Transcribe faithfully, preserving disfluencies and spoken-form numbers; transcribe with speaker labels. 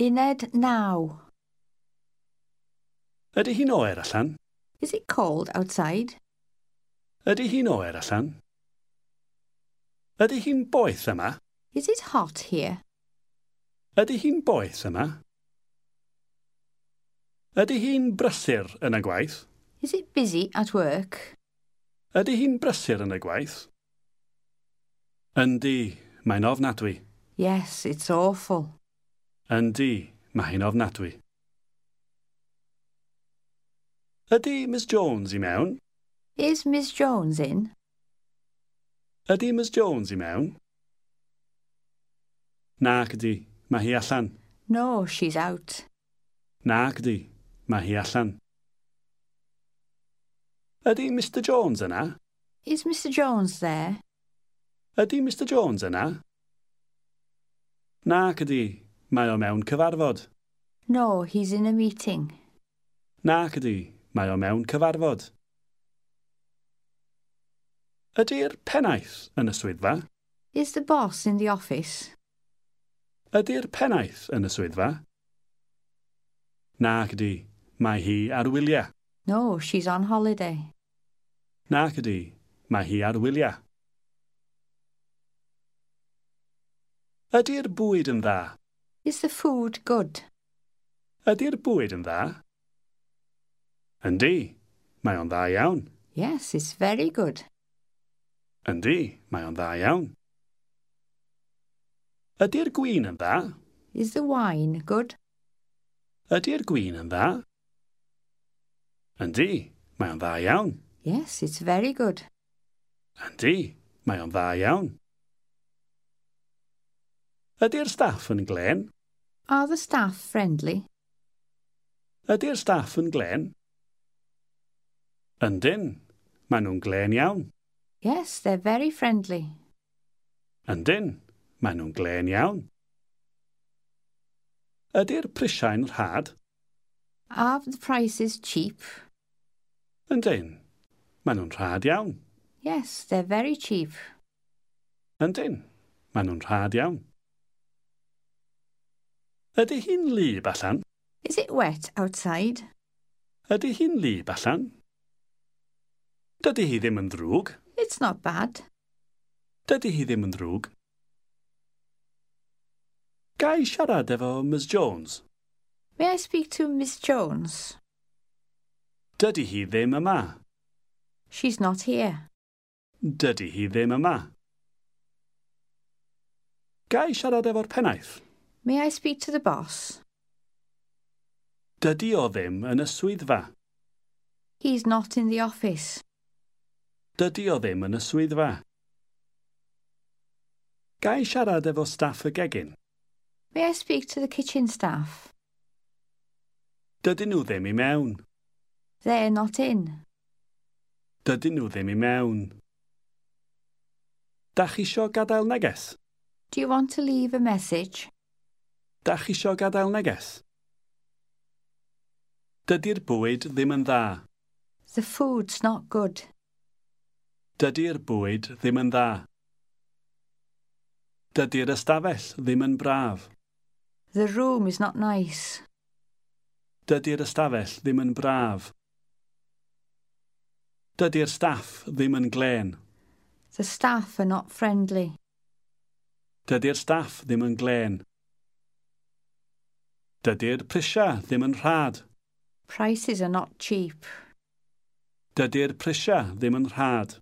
Speaker 1: Uned naw.
Speaker 2: Ydy hi'n oer allan?
Speaker 1: Is it cold outside?
Speaker 2: Ydy hi'n oer allan? Ydy hi'n boeth yma?
Speaker 1: Is it hot here?
Speaker 2: Ydy hi'n boeth yma? Ydy hi'n brysur yn y gwaith?
Speaker 1: Is it busy at work?
Speaker 2: Ydy hi'n brysur yn y gwaith? Yndi, mae'n ofnadwy.
Speaker 1: Yes, it's awful.
Speaker 2: Yndi, mae hi'n ofnadwy. Ydy Miss Jones i mewn?
Speaker 1: Is Miss Jones in?
Speaker 2: Ydy Miss Jones i mewn? Nac ydy, mae hi allan.
Speaker 1: No, she's out.
Speaker 2: Nac ydy, mae hi allan. Ydy Mr Jones yna?
Speaker 1: Is Mr Jones there?
Speaker 2: Ydy Mr Jones yna? Nac ydy, mae o mewn cyfarfod.
Speaker 1: No, he's in a meeting.
Speaker 2: Nac ydy, mae o mewn cyfarfod. Ydy'r pennaeth yn y swyddfa?
Speaker 1: Is the boss in the office?
Speaker 2: Ydy'r pennaeth yn y swyddfa? Nac ydy, mae hi ar wyliau.
Speaker 1: No, she's on holiday.
Speaker 2: Nac ydy, mae hi ar wyliau. Ydy'r bwyd yn dda?
Speaker 1: Is the food good?
Speaker 2: Ydy'r bwyd yn dda? Yndi, mae o'n dda iawn.
Speaker 1: Yes, it's very good.
Speaker 2: Yndi, mae o'n dda iawn. Ydy'r gwin yn dda?
Speaker 1: Is the wine good?
Speaker 2: Ydy'r gwin yn dda? Yndi, mae o'n dda iawn.
Speaker 1: Yes, it's very good.
Speaker 2: Yndi, mae o'n dda iawn. Ydy'r staff yn glên?
Speaker 1: Are the staff friendly?
Speaker 2: Ydy'r staff yn glên? Yndyn, maen nhw'n glên iawn.
Speaker 1: Yes, they're very friendly.
Speaker 2: Yndyn, maen nhw'n glên iawn. Ydy'r prisiau'n rhad?
Speaker 1: Are the prices cheap?
Speaker 2: Yndyn, maen nhw'n rhad iawn.
Speaker 1: Yes, they're very cheap.
Speaker 2: Yndyn, maen nhw'n rhad iawn. Ydy hi'n wlyb allan?
Speaker 1: Is it wet outside?
Speaker 2: Ydy hi'n wlyb allan? Dydy hi ddim yn ddrwg.
Speaker 1: It's not bad.
Speaker 2: Dydy hi ddim yn ddrwg. Ga i siarad efo Miss Jones?
Speaker 1: May I speak to Miss Jones?
Speaker 2: Dydy hi ddim yma.
Speaker 1: She's not here.
Speaker 2: Dydy hi ddim yma. Ga i siarad efo'r pennaeth?
Speaker 1: May I speak to the boss?
Speaker 2: Dydy o ddim yn y swyddfa.
Speaker 1: He's not in the office.
Speaker 2: Dydy o ddim yn y swyddfa. Ga i siarad efo staff y gegin?
Speaker 1: May I speak to the kitchen staff?
Speaker 2: Dydyn nhw ddim i mewn.
Speaker 1: They're not in.
Speaker 2: Dydyn nhw ddim i mewn. Dach chi isio gadael neges?
Speaker 1: Do you want to leave a message?
Speaker 2: Dach chi isio gadael neges? Dydy'r bwyd ddim yn dda.
Speaker 1: The food's not good.
Speaker 2: Dydy'r bwyd ddim yn dda. Dydy'r ystafell ddim yn braf.
Speaker 1: The room is not nice.
Speaker 2: Dydy'r ystafell ddim yn braf. Dydy'r staff ddim yn glên.
Speaker 1: The staff are not friendly.
Speaker 2: Dydy'r staff ddim yn glên. Dydy'r prisiau ddim yn rhad.
Speaker 1: Prices are not cheap.
Speaker 2: Dydy'r prisiau ddim yn rhad.